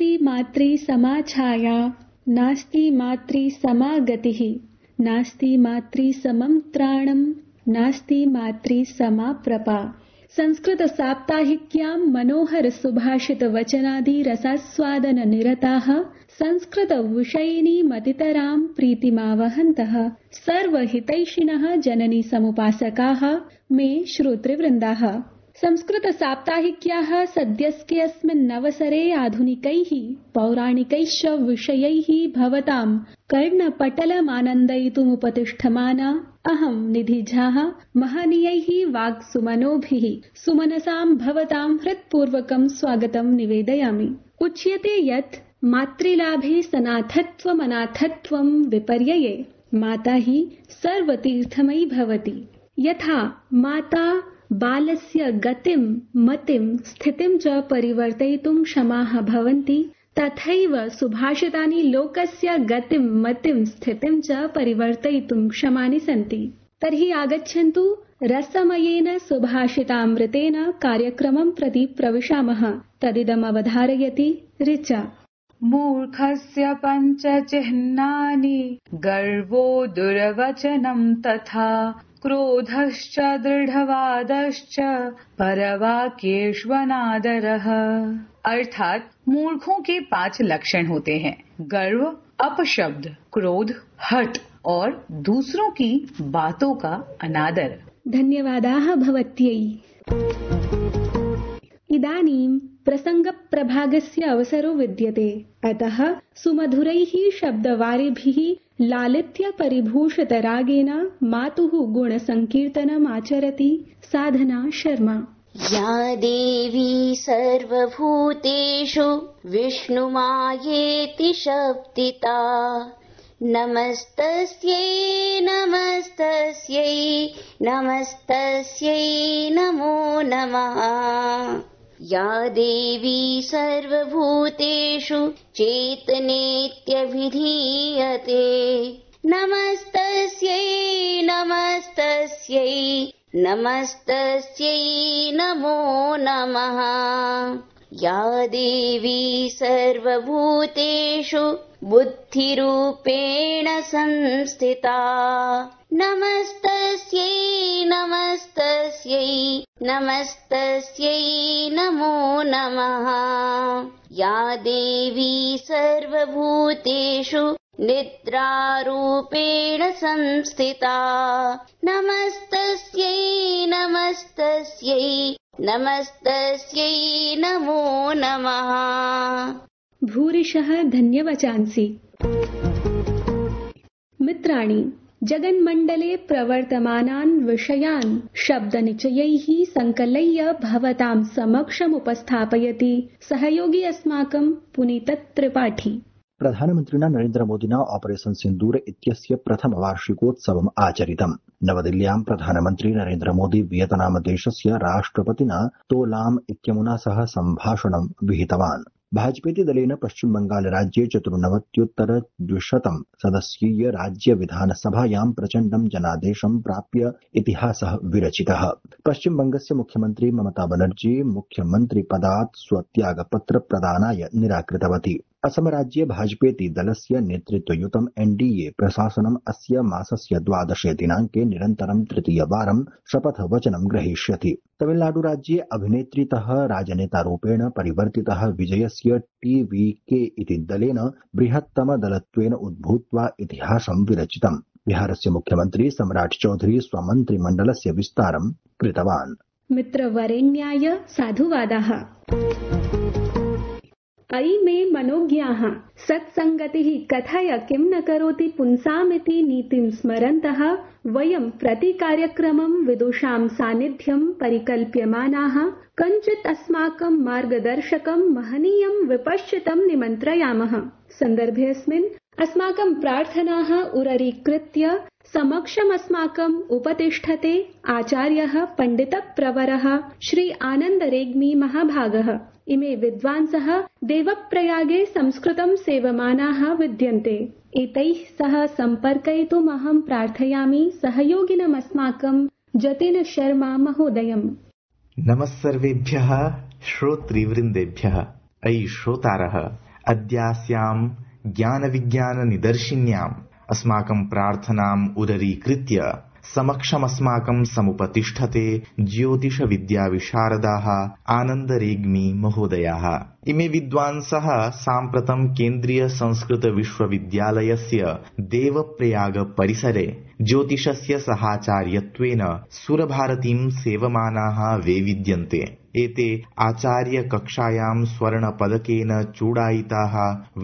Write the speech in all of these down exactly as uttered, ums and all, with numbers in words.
नास्ति मात्री समा छाया, नास्ति मात्री समा गतिः, नास्ति मात्री समं त्राणं, नास्ति मात्री समा प्रपा। संस्कृत साप्ताहिक्यां मनोहर सुभाषित वचनादि रसास्वादन निरताः संस्कृत विषयिणी मतितरां प्रीतिमावहन्तः सर्वहितैषिणः जननी समुपासकाः मे श्रोतृवृन्दाः। संस्कृत साप्ताहिक्याः सद्यस्केऽस्मिन् अवसरे आधुनिकैः पौराणिकैश्च विषयैः भवतां कर्णपटलमानन्दयितुमुपतिष्ठमाना अहं निधि झा महनीयैः वाक्सुमनोभिः सुमनसां भवतां हृत्पूर्वकं स्वागतं निवेदयामि। उच्यते यत् मातृलाभे सनाथत्वमनाथत्वं विपर्यये माता हि सर्वतीर्थमयी भवति। यथा माता बालस्य गतिं मतिं स्थितिं च परिवर्तयितुं क्षमाः भवन्ति, तथैव सुभाषितानि लोकस्य गतिं मतिं स्थितिं च परिवर्तयितुं क्षमानि सन्ति। तर्हि आगच्छन्तु रसमयेन सुभाषितामृतेन कार्यक्रमं प्रति प्रविशामः। तदिदम् अवधारयति ऋचा। मूर्खस्य पञ्च चिह्नानि गर्वो दुर्वचनं तथा क्रोधश्च दृढ़वादश्च परवाक्येष्वनादरः। अर्थात मूर्खों के पांच लक्षण होते हैं: गर्व, अपशब्द, क्रोध, हठ और दूसरों की बातों का अनादर। धन्यवादाः भवत्यै। इदानीं प्रसंगप्रभागस्य अवसरो विद्यते, अतः सुमधुरैः शब्दवारिभिः लालित्य परिभूषितरागेण मातुः गुणसंकीर्तनमाचरति साधना शर्मा। या देवी सर्वभूतेषु विष्णुमायेति शब्दिता, नमस्तस्यै नमस्तस्यै नमस्तस्यै नमो नमः। या देवी सर्वभूतेषु चेतनेत्यभिधीयते, नमस्तस्यै नमस्तस्यै नमस्तस्यै नमो नमः। या देवी सर्वभूतेषु बुद्धिरूपेण संस्थिता, नमस्तस्यै नमस्तस्यै नमस्तस्यै नमो नमः। या देवी सर्वभूतेषु निद्रारूपेण संस्थिता, नमस्तस्यै नमस्तस्यै नमस्तस्यै नमो नमः। भूरिशः धन्यवचांसि। मित्राणि, जगन्मण्डले प्रवर्तमानान् विषयान् शब्दनिचयैः संकलय्य भवतां समक्षमुपस्थापयति सहयोगी अस्माकं पुनीत त्रिपाठी। प्रधानमन्त्रिणा नरेन्द्र मोदिना ऑपरेशन सिन्दूर इत्यस्य प्रथमवार्षिकोत्सवम् आचरितम्। नवदिल्ल्यां प्रधानमन्त्री नरेन्द्र मोदी वियतनाम देशस्य राष्ट्रपतिना तो लाम इत्यमुना सह सम्भाषणं विहितवान्। भाजपेति दलेन पश्चिम बंगाल राज्ये चतुर्नवत्युत्तर द्विशतं सदस्यीय राज्य विधानसभायां प्रचण्डं जनादेशं प्राप्य इतिहासः विरचितः। पश्चिम बंगस्य मुख्यमन्त्री ममता बनर्जी मुख्यमन्त्री पदात् स्वत्यागपत्र प्रदानाय निराकृतवती। असम राज्ये भाजपेति दलस्य नेतृत्वयुतं एनडीए प्रशासनम् अस्य मासस्य द्वादशे दिनाङ्के निरन्तरं तृतीयवारं शपथवचनं ग्रहीष्यति। तमिलनाडु राज्ये अभिनेत्रीतः राजनेतारूपेण परिवर्तितः विजयस्य टीवीके इति दलेन बृहत्तमदलत्वेन उद्भूत्वा इतिहासं विरचितम्। बिहारस्य मुख्यमन्त्री सम्राट चौधरी स्वमन्त्रिमण्डलस्य विस्तारं कृतवान्। मित्रवरेण्याय साधुवादाः। अयि मे मनोज्ञाः सत्सङ्गतिः कथय किं न करोति पुंसामिति नीतिं स्मरन्तः वयं प्रतिकार्यक्रमं विदुषां सान्निध्यं परिकल्प्यमानाः कञ्चित् अस्माकं मार्गदर्शकं महनीयं विपश्चितं निमन्त्रयामः। सन्दर्भेऽस्मिन् अस्माकं प्रार्थनाः उररीकृत्य समक्षम् अस्माकम् उपतिष्ठते आचार्यः पण्डितप्रवरः श्री आनन्दरेग्मी महाभागः। इमे विद्वांसः देवप्रयागे संस्कृतं सेवमानाः विद्यन्ते। एतैः सह सम्पर्कयितुम् अहं प्रार्थयामि सहयोगिनमस्माकं जतिन शर्मा महोदयम्। नमः सर्वेभ्यः श्रोतृवृन्देभ्यः। अयि श्रोतारः, अद्यास्यां ज्ञानविज्ञाननिदर्शिन्याम् अस्माकं प्रार्थनाम् उदरीकृत्य समक्षमस्माकं समुपतिष्ठते ज्योतिषविद्याविशारदाः आनन्दरेग्मी महोदयाः। इमे विद्वांसः साम्प्रतं केन्द्रीयसंस्कृतविश्वविद्यालयस्य देवप्रयाग परिसरे ज्योतिषस्य सहाचार्यत्वेन सुरभारतीं सेवमानाः वैविद्यन्ते। एते आचार्यकक्षायां स्वर्णपदकेन चूडायिताः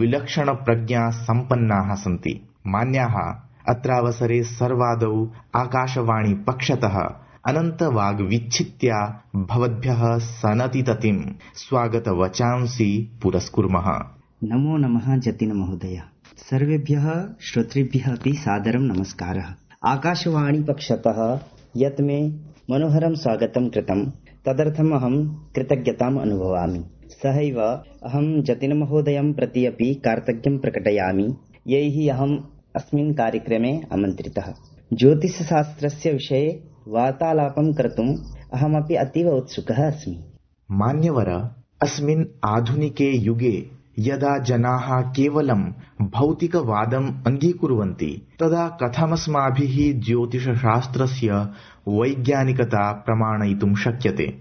विलक्षणप्रज्ञासम्पन्नाः सन्ति। मान्याः अत्रावसरे सर्वादौ आकाशवाणीपक्षतः अनन्तवाग्विच्छित्या भवद्भ्यः सनतिततिं स्वागतवचांसि पुरस्कुर्मः। नमो नमः जतिन महोदय। सर्वेभ्यः श्रोतृभ्यः अपि सादरं नमस्कारः। आकाशवाणीपक्षतः यत् मे मनोहरं स्वागतं कृतं तदर्थम् अहं कृतज्ञताम् अनुभवामि। सहैव अहं जतिनमहोदयं प्रति अपि कार्तज्ञं प्रकटयामि यैः अहम् अस्मिन् कार्यक्रमे आमन्त्रितः। ज्योतिषशास्त्रस्य विषये वार्तालापं कर्तुम् अहमपि अतीव उत्सुकः अस्मि। मान्यवर, अस्मिन् आधुनिके युगे यदा जनाः केवलं भौतिकवादम् अङ्गीकुर्वन्ति तदा कथमस्माभिः ज्योतिषशास्त्रस्य वैज्ञानिकता प्रमाणयितुं शक्यते?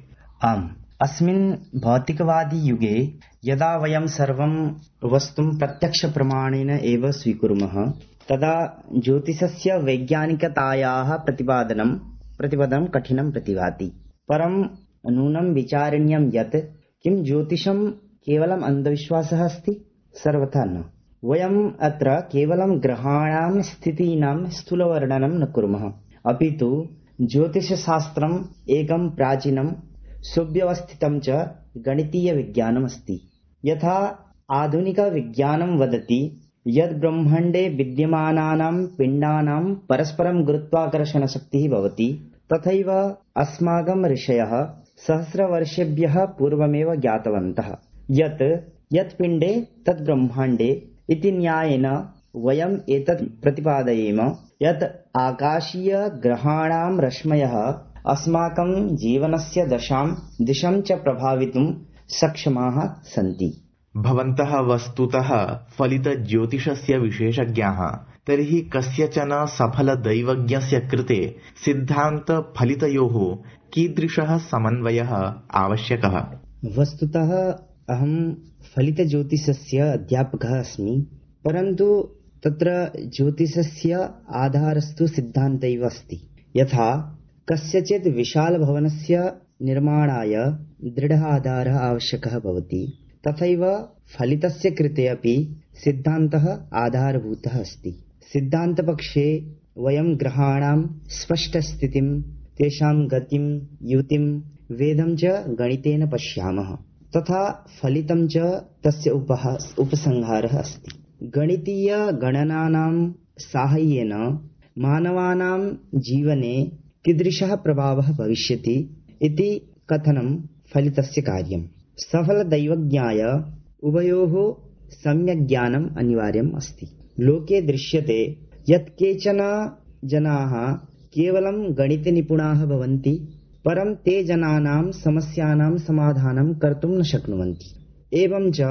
आम्, अस्मिन् भौतिकवादी युगे यदा वयं सर्वं वस्तुं प्रत्यक्षप्रमाणेन एव स्वीकुर्मः तदा ज्योतिषस्य वैज्ञानिकतायाः प्रतिपादनं प्रतिपदनं कठिनं प्रतिभाति। परं नूनं विचारणीयं यत् किं ज्योतिषं केवलम् अन्धविश्वासः अस्ति? सर्वथा न। वयम् अत्र केवलं ग्रहाणां स्थितीनां स्थूलवर्णनं न कुर्मः, अपि तु ज्योतिषशास्त्रम् एकं प्राचीनं सुव्यवस्थितं च गणितीयविज्ञानमस्ति। यथा आधुनिकविज्ञानं वदति यद् ब्रह्माण्डे विद्यमानानां पिण्डानां परस्परं गुरुत्वाकर्षणशक्तिः भवति, तथैव अस्माकं ऋषयः सहस्रवर्षेभ्यः पूर्वमेव ज्ञातवन्तः यत् यत् पिण्डे तत् ब्रह्माण्डे इति न्यायेन वयम् एतत् प्रतिपादयेम यत् आकाशीयग्रहाणां रश्मयः अस्माकं जीवनस्य दशां दिशं च प्रभावितुं सक्षमाः सन्ति। भवन्तः वस्तुतः फलितज्योतिषस्य विशेषज्ञाः। तर्हि कस्यचन सफलदैवज्ञस्य कृते सिद्धान्तफलितयोः कीदृशः समन्वयः आवश्यकः? वस्तुतः अहं फलितज्योतिषस्य अध्यापकः अस्मि, परन्तु तत्र ज्योतिषस्य आधारस्तु सिद्धान्त एव अस्ति। यथा कस्यचित् विशालभवनस्य निर्माणाय दृढः आधारः आवश्यकः भवति, तथैव फलितस्य कृते अपि सिद्धान्तः आधारभूतः अस्ति। सिद्धान्तपक्षे वयं ग्रहाणां स्पष्टस्थितिं, तेषां गतिं, युतिं, वेदं च गणितेन पश्यामः। तथा फलितं च तस्य उपः उपसंहारः अस्ति। गणितीयगणनानां साहाय्येन मानवानां जीवने कीदृशः प्रभावः भविष्यति इति कथनं फलितस्य कार्यम्। सफलदैवज्ञाय उभयोः सम्यक् ज्ञानम् अनिवार्यम् अस्ति। लोके दृश्यते यत् केचन जनाः केवलं गणितनिपुणाः भवन्ति, परं ते जनानां समस्यानां समाधानं कर्तुं न शक्नुवन्ति। एवं च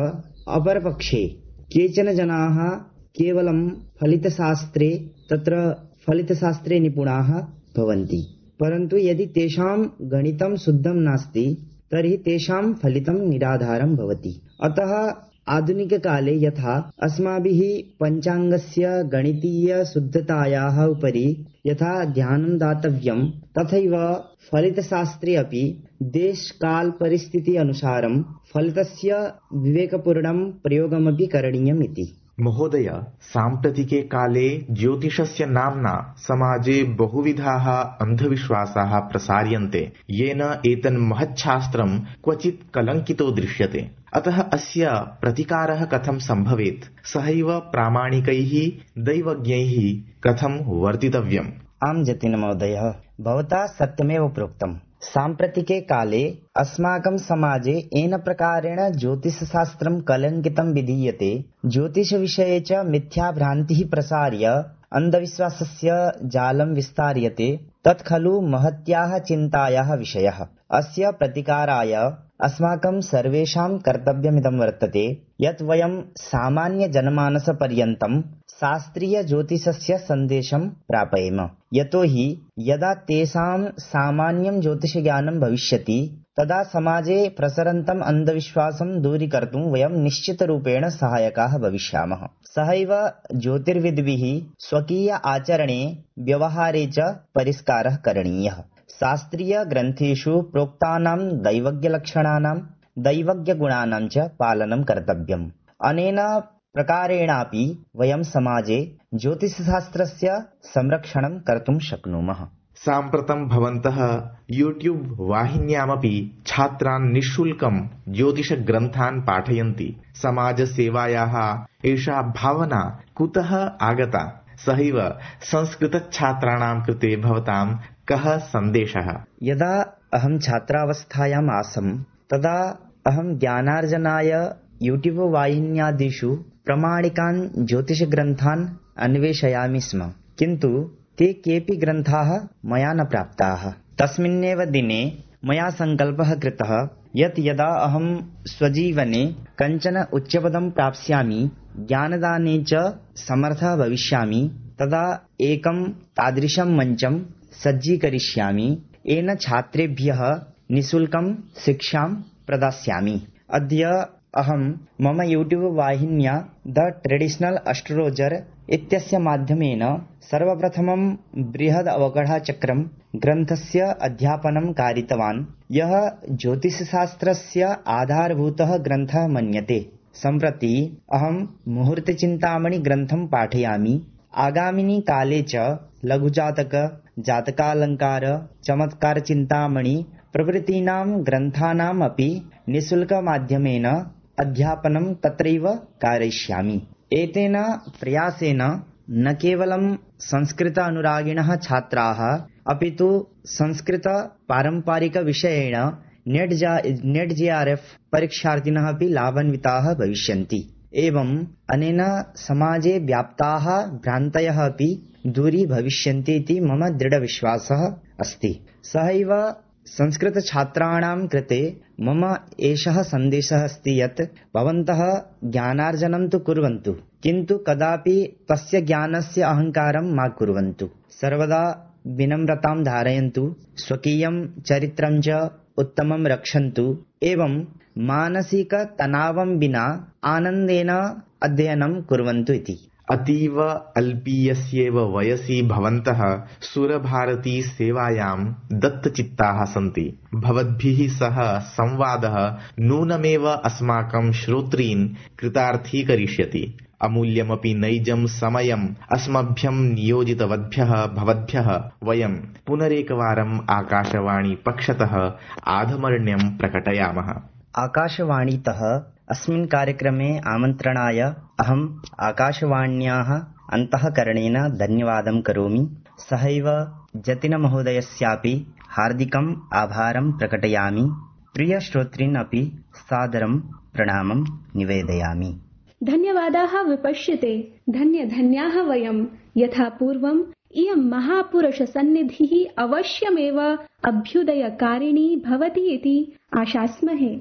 अपरपक्षे केचन जनाः केवलं फलितशास्त्रे तत्र फलितशास्त्रे निपुणाः भवन्ति, परन्तु यदि तेषां गणितं शुद्धं नास्ति तर्हि तेषां फलितं निराधारं भवति। अतः आधुनिककाले यथा अस्माभिः पञ्चाङ्गस्य गणितीयशुद्धतायाः उपरि यथा ध्यानं दातव्यं, तथैव फलितशास्त्रे अपि देशकालपरिस्थिति अनुसारं फलितस्य विवेकपूर्णं प्रयोगमपि करणीयम् इति। महोदय, साम्प्रतिके काले ज्योतिषस्य नाम्ना समाजे बहुविधाः अन्धविश्वासाः प्रसार्यन्ते, येन एतन्महच्छास्त्रं क्वचित् कलङ्कितो दृश्यते। अतः अस्य प्रतिकारः कथं सम्भवेत्? सहैव प्रामाणिकैः दैवज्ञैः कथं वर्तितव्यम्? आं जतिन महोदय, भवता सत्यमेव प्रोक्तम्। साम्प्रतिके काले अस्माकं समाजे येन प्रकारेण ज्योतिषशास्त्रं कलङ्कितं विधीयते, ज्योतिषविषये च मिथ्याभ्रान्तिः प्रसार्य अन्धविश्वासस्य जालं विस्तार्यते तत् खलु महत्याः चिन्तायाः विषयः। अस्य प्रतिकाराय अस्माकं सर्वेषां कर्तव्यमिदं वर्तते यत् वयं सामान्यजनमानसपर्यन्तं शास्त्रीयज्योतिषस्य सन्देशं प्रापयेम। यतोहि यदा तेषां सामान्यं ज्योतिषज्ञानं भविष्यति तदा समाजे प्रसरन्तम् अन्धविश्वासं दूरीकर्तुं वयं निश्चितरूपेण सहायकाः भविष्यामः। सहैव ज्योतिर्विद्भिः स्वकीय आचरणे व्यवहारे च परिष्कारः करणीयः। शास्त्रीयग्रन्थेषु प्रोक्तानां दैवज्ञलक्षणानां दैवज्ञगुणानां च पालनं कर्तव्यम्। अनेन प्रकारेणापि वयं समाजे ज्योतिषशास्त्रस्य संरक्षणं कर्तुं शक्नुमः। साम्प्रतं भवन्तः यूट्यूब् वाहिन्यामपि छात्रान् निःशुल्कं ज्योतिषग्रन्थान् पाठयन्ति। समाजसेवायाः एषा भावना कुतः आगता? सहैव संस्कृतछात्राणां कृते भवतां कः सन्देशः? यदा अहं छात्रावस्थायाम् आसम् तदा अहं ज्ञानार्जनाय यूट्यूब् वाहिन्यादिषु प्रमाणिकान् ज्योतिषग्रन्थान् अन्वेषयामि स्म, किन्तु ते केऽपि ग्रन्थाः मया न प्राप्ताः। तस्मिन्नेव दिने मया सङ्कल्पः कृतः यत् यदा अहं स्वजीवने कञ्चन उच्चपदं प्राप्स्यामि, ज्ञानदाने च समर्थः भविष्यामि, तदा एकं तादृशं मञ्चं सज्जीकरिष्यामि, येन छात्रेभ्यः निःशुल्कं शिक्षां प्रदास्यामि। अद्य अहं मम यूट्यूब् वाहिन्या द ट्रेडिशनल् एस्ट्रोलजर इत्यस्य माध्यमेन सर्वप्रथमं बृहद् अवगढचक्रं ग्रन्थस्य अध्यापनं कारितवान्, यः ज्योतिषशास्त्रस्य आधारभूतः ग्रन्थः मन्यते। सम्प्रति अहं मुहूर्तचिन्तामणि ग्रन्थं पाठयामि। आगामिनि काले च लघुजातक, जातकालङ्कार, चमत्कारचिन्तामणि प्रभृतीनां ग्रन्थानाम् अपि निःशुल्कमाध्यमेन अध्यापनं तत्रैव कारयिष्यामि। एतेन प्रयासेन न केवलं संस्कृत अनुरागिणः छात्राः अपि तु संस्कृत पारम्परिकविषयेण नेट् जा नेट् जे आर् एफ् परीक्षार्थिनः अपि लाभान्विताः भविष्यन्ति। एवम् अनेन समाजे व्याप्ताः भ्रान्तयः अपि दूरी भविष्यन्ति इति मम दृढविश्वासः अस्ति। सहैव संस्कृतछात्राणां कृते मम एषः सन्देशः अस्ति यत् भवन्तः ज्ञानार्जनं तु कुर्वन्तु, किन्तु कदापि तस्य ज्ञानस्य अहङ्कारं मा कुर्वन्तु। सर्वदा विनम्रतां धारयन्तु, स्वकीयं चरित्रं च उत्तमं रक्षन्तु, एवं मानसिकतनावं विना आनन्देन अध्ययनं कुर्वन्तु इति। अतीव अल्पीयस्येव वयसि भवन्तः सुरभारती सेवायां दत्तचित्ताः सन्ति। भवद्भिः सह संवादः नूनमेव अस्माकं श्रोत्रीन् कृतार्थीकरिष्यति। अमूल्यमपि नैजं समयम् अस्मभ्यं नियोजितवद्भ्यः भवद्भ्यः वयं पुनरेकवारम् आकाशवाणी पक्षतः आधमर्ण्यं प्रकटयामः। आकाशवाणीतः अस्मिन् कार्यक्रमे आमन्त्रणाय अहम् आकाशवाण्याः अन्तःकरणेन धन्यवादं करोमि। सहैव जतिनमहोदयस्यापि हार्दिकम् आभारं प्रकटयामि। प्रियश्रोतॄन् अपि सादरं प्रणामं निवेदयामि। धन्यवादाः विपश्यते। धन्य धन्याः वयं। यथा पूर्वम् इयं महापुरुषसन्निधिः अवश्यमेव अभ्युदयकारिणी भवति इति आशास्महे।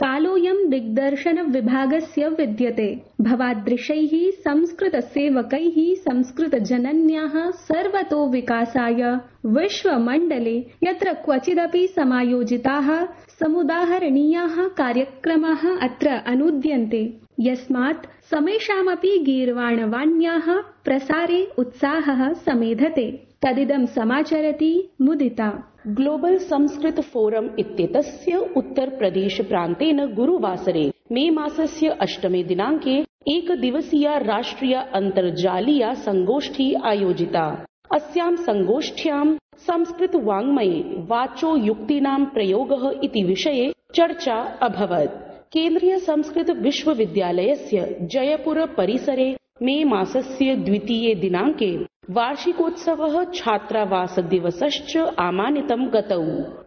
कालोऽयं दिग्दर्शनविभागस्य विद्यते। भवादृशैः संस्कृतसेवकैः संस्कृतजनन्याः सर्वतो विकासाय विश्वमण्डले यत्र क्वचिदपि समायोजिताः समुदाहरणीयाः कार्यक्रमाः अत्र अनुद्यन्ते, यस्मात् समेषामपि गीर्वाणवाण्याः प्रसारे उत्साहः समेधते। तदिदं समाचरति मुदिता। ग्लोबल संस्कृत फोरम इत्येतस्य उत्तर प्रदेश प्रान्तेन गुरुवासरे मे मासस्य अष्टमे दिनाङ्के एकदिवसीया राष्ट्रिय अन्तर्जालीया संगोष्ठी आयोजिता। अस्यां संगोष्ठ्यां संस्कृत वाङ्मये वाचो युक्तीनां प्रयोगः इति विषये चर्चा अभवत्। केन्द्रीय संस्कृत विश्वविद्यालयस्य जयपुर परिसरे मे मासस्य द्वितीये दिनाङ्के वार्षिकोत्सवः छात्रावासदिवसश्च आमानितं गतौ।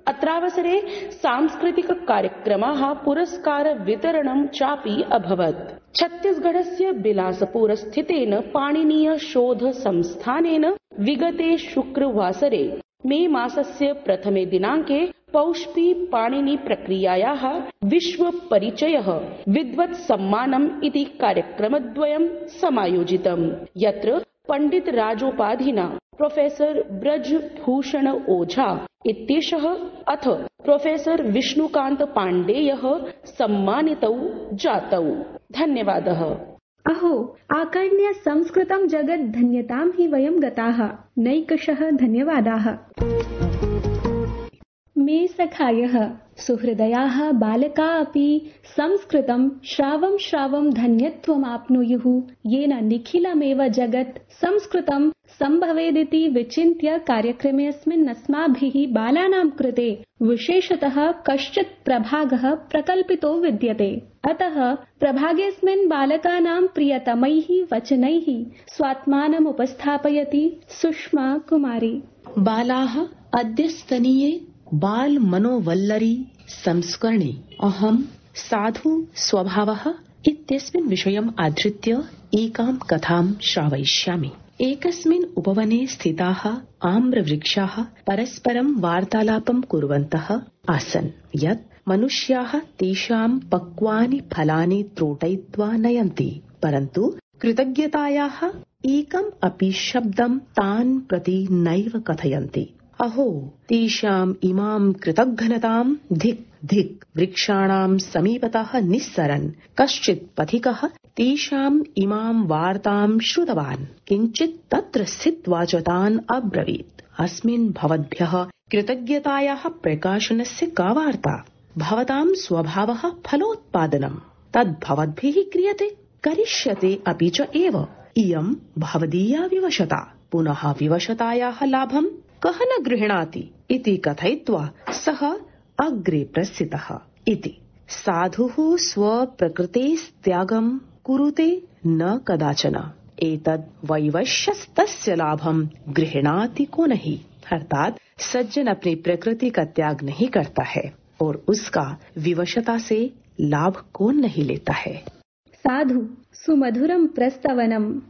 अत्रावसरे सांस्कृतिककार्यक्रमाः पुरस्कारवितरणं चापि अभवत्। छत्तीसगढ़स्य बिलासपुर स्थितेन पाणिनीय शोध संस्थानेन विगते शुक्रवासरे मे मासस्य प्रथमे दिनाङ्के पौष्पी पाणिनि प्रक्रियायाः विश्व परिचयः विद्वत् सम्मानम् इति कार्यक्रमद्वयं समायोजितम्, यत्र पंडित राजोपाधिना प्रोफेसर ब्रजभूषण ओझा इत्येषः अथ प्रोफेसर विष्णुकान्त पाण्डेयः सम्मानितौ जातौ। धन्यवादः। अहो आकर्ण्य संस्कृतं जगत् धन्यतां हि वयं गताः। नैकशः धन्यवादाः। मे सखायः सुहृदयाः बालका अपि संस्कृतं श्रावं श्रावं धन्यत्वमाप्नुयुः, येन निखिलमेव जगत् संस्कृतं सम्भवेदिति विचिन्त्य कार्यक्रमेऽस्मिन् अस्माभिः बालानां कृते विशेषतः कश्चित् प्रभागः प्रकल्पितो विद्यते। अतः प्रभागेऽस्मिन् बालकानां प्रियतमैः वचनैः स्वात्मानम् उपस्थापयति सुषमा कुमारी। बालाः अद्यस्तनीये बाल मनोवल्लरी संस्करणे अहं साधु स्वभावः इत्यस्मिन् विषयम् आधृत्य एकां कथां श्रावयिष्यामि। एकस्मिन् उपवने स्थिताः आम्रवृक्षाः परस्परं वार्तालापं कुर्वन्तः आसन् यत् मनुष्याः तेषां पक्वानि फलानि त्रोटयित्वा नयन्ति, परन्तु कृतज्ञतायाः एकम् अपि शब्दं तान् प्रति नैव कथयन्ति। अहो तेषाम् इमां कृतघ्नतां धिक् धिक्। वृक्षाणां समीपतः निस्सरन् कश्चित् पथिकः तेषाम् इमां वार्तां श्रुतवान्। किञ्चित् तत्र स्थित्वा च तान् अब्रवीत्, अस्मिन् भवद्भ्यः कृतज्ञतायाः प्रकाशनस्य का वार्ता? भवतां स्वभावः फलोत्पादनम्, तद् भवद्भिः क्रियते, करिष्यते अपि च एव। इयं भवदीया विवशता, पुनः विवशतायाः लाभं कः न गृह्णाति इति कथयित्वा सः अग्रे प्रस्थितः इति। साधुः स्वप्रकृतेस्त्यागं कुरुते न कदाचन, एतद् वैवश्यस्तस्य लाभं गृह्णाति को नहीं। अर्थात सज्जन अपनी प्रकृति का त्याग नहीं करता है और उसका विवशता से लाभ कौन नहीं लेता है। साधु सुमधुरं प्रस्तवनम्।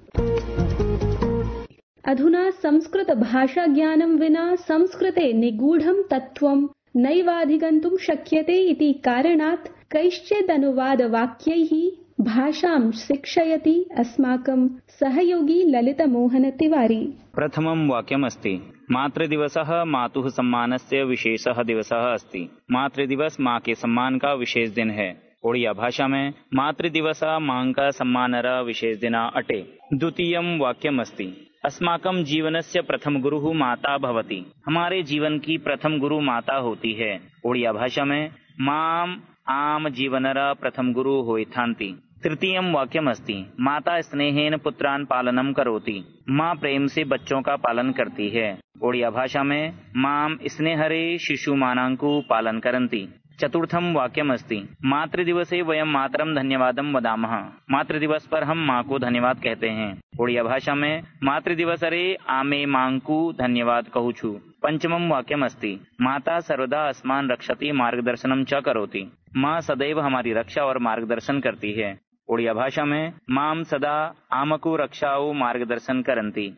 अधुना संस्कृत भाषा ज्ञानं विना संस्कृते निगूढं तत्त्वं नैवाधिगन्तुं शक्यते इति कारणात् कैश्चिदनुवादवाक्यैः भाषां शिक्षयति अस्माकं सहयोगी ललितमोहन तिवारी। प्रथमं वाक्यमस्ति मातृदिवसः मातुः सम्मानस्य विशेषः दिवसः अस्ति। मातृदिवस माँ के सम्मान का विशेष दिन है। ओडिया भाषा में मातृदिवस माँ का सम्मानरा विशेष दिना अटे। द्वितीयं वाक्यमस्ति अस्माकं जीवनस्य प्रथम गुरुः माता भवति। हमारे जीवन की प्रथम गुरु माता होती है। ओडिया भाषा में माम आम जीवनरा प्रथम गुरु होइथान्ति। तृतीयं वाक्यमस्ति माता स्नेहेन पुत्रान् पालनं करोति। माँ प्रेम से बच्चों का पालन करती है। ओडिया भाषा में माम स्नेहरे शिशुमानांकु पालन करन्ति। चतुर्थं वाक्यमस्ति मातृदिवसे वयं मातरं धन्यवादं वदामः। मातृदिवस पर हम माँ को धन्यवाद कहते हैं। ओडिया भाषा में मातृदिवसरे आमे मां को धन्यवाद कहूँ छु। पंचमं वाक्यमस्ति माता सर्वदा अस्मान् रक्षति मार्गदर्शनं च करोति। माँ सदैव हमारी रक्षा और मार्गदर्शन करती है। ओडिया भाषा में माम सदा आमको रक्षाओ मार्गदर्शन करन्ति।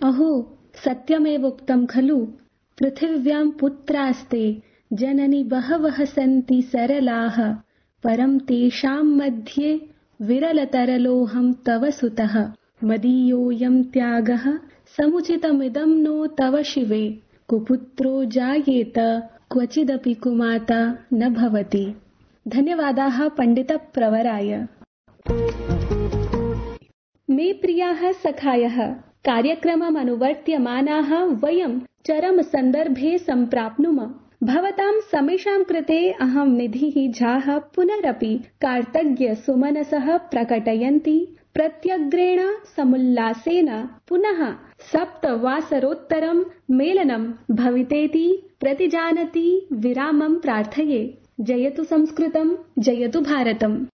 अहो सत्यमेव उक्तं खलु पृथिव्यां पुत्रास्ते जननी बहवः सन्ति सरलाः परं तेषां मध्ये विरलतरलोऽहं तव सुतः। मदीयोऽयं त्यागः समुचितमिदं नो तव शिवे। कुपुत्रो जायेत क्वचिदपि कुमाता न भवति। धन्यवादाः पंडित प्रवराय। मे प्रियाः सखायः कार्यक्रमम् अनुवर्त्यमानाः वयं चरम सन्दर्भे सम्प्राप्नुम। भवतां समेषां कृते अहं निधिः झाः पुनरपि कार्तज्ञ सुमनसः प्रकटयन्ति। प्रत्यग्रेण समुल्लासेन पुनः सप्तवासरोत्तरं मेलनं भवितेति प्रतिजानति विरामं प्रार्थये। जयतु संस्कृतं, जयतु भारतम्।